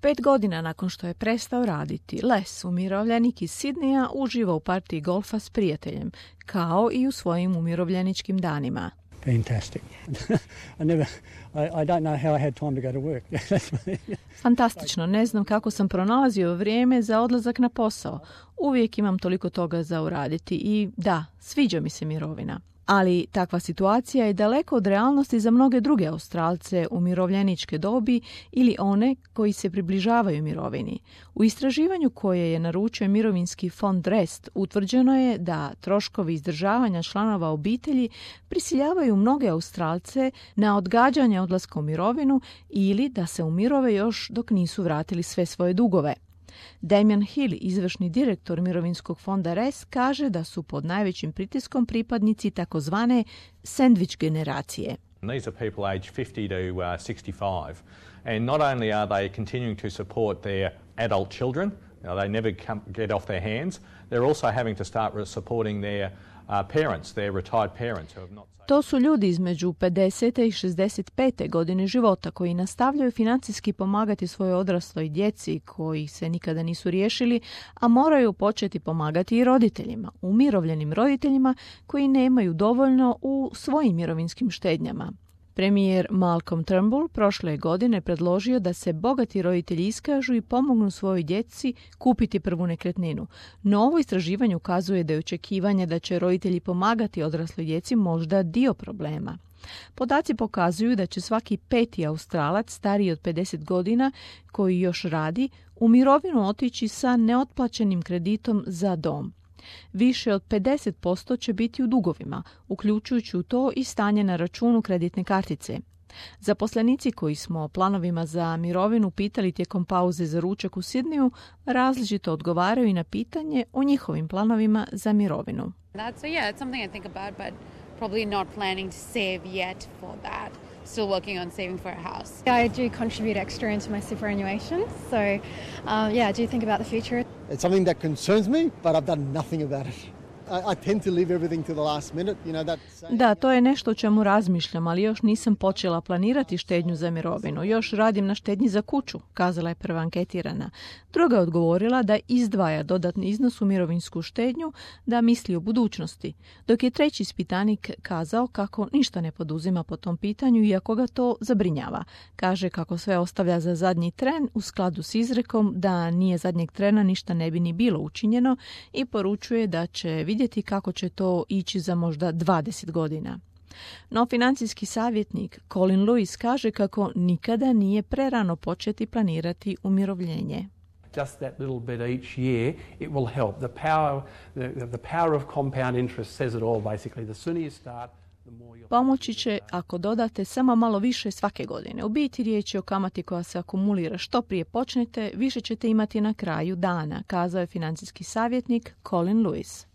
5 godina nakon što je prestao raditi, Les, umirovljenik iz Sidneja, uživa u partiji golfa s prijateljem, kao i u svojim umirovljeničkim danima. Fantastic. I don't know how I had time to go to work. Fantastično, ne znam kako sam pronalazio vrijeme za odlazak na posao. Uvijek imam toliko toga za uraditi i da, sviđa mi se mirovina. Ali takva situacija je daleko od realnosti za mnoge druge Australce umirovljeničke dobi ili one koji se približavaju mirovini. U istraživanju koje je naručio mirovinski fond Rest utvrđeno je da troškovi izdržavanja članova obitelji prisiljavaju mnoge Australce na odgađanje odlaska u mirovinu ili da se umirove još dok nisu vratili sve svoje dugove. Damien Hill, izvršni direktor mirovinskog fonda RES, kaže da su pod najvećim pritiskom pripadnici takozvane sandwich generacije. These are people aged 50 to 65, and not only are they continuing to support their adult children, they never get off their hands, they're also having to start supporting their parents, their retired parents who have not. To su ljudi između 50. i 65. godine života koji nastavljaju financijski pomagati svojoj odrasloj djeci koji se nikada nisu riješili, a moraju početi pomagati i roditeljima, umirovljenim roditeljima koji nemaju dovoljno u svojim mirovinskim štednjama. Premijer Malcolm Turnbull prošle godine predložio da se bogati roditelji iskažu i pomognu svojoj djeci kupiti prvu nekretninu. No ovo istraživanje ukazuje da je očekivanje da će roditelji pomagati odrasloj djeci možda dio problema. Podaci pokazuju da će svaki 5. Australac stariji od 50 godina koji još radi u mirovinu otići sa neotplaćenim kreditom za dom. Više od 50% će biti u dugovima, uključujući u to i stanje na računu kreditne kartice. Zaposlenici koji smo o planovima za mirovinu pitali tijekom pauze za ručak u Sidneju različito odgovaraju i na pitanje o njihovim planovima za mirovinu. It's something I think about, but probably not planning to save yet for that. Still working on saving for a house. I do contribute extra into my superannuation, so I do think about the future. It's something that concerns me, but I've done nothing about it. I tend to leave everything to the last minute, Da, to je nešto o čemu razmišljam, ali još nisam počela planirati štednju za mirovinu. Još radim na štednji za kuću, kazala je prva anketirana. Druga je odgovorila da izdvaja dodatni iznos u mirovinsku štednju, da misli o budućnosti. Dok je treći ispitanik kazao kako ništa ne poduzima po tom pitanju, iako ga to zabrinjava. Kaže kako sve ostavlja za zadnji tren u skladu s izrekom da nije zadnjeg trena ništa ne bi ni bilo učinjeno i poručuje da će vidjeti kako će to ići za možda 20 godina. No financijski savjetnik Colin Lewis kaže kako nikada nije prerano početi planirati umirovljenje. Just that little bit each year, it will help. The power of compound interest says it all, basically. The sooner you start, the more you'll... Pomoći će ako dodate samo malo više svake godine. U biti riječ je o kamati koja se akumulira. Što prije počnete, više ćete imati na kraju dana, kazao je financijski savjetnik Colin Lewis.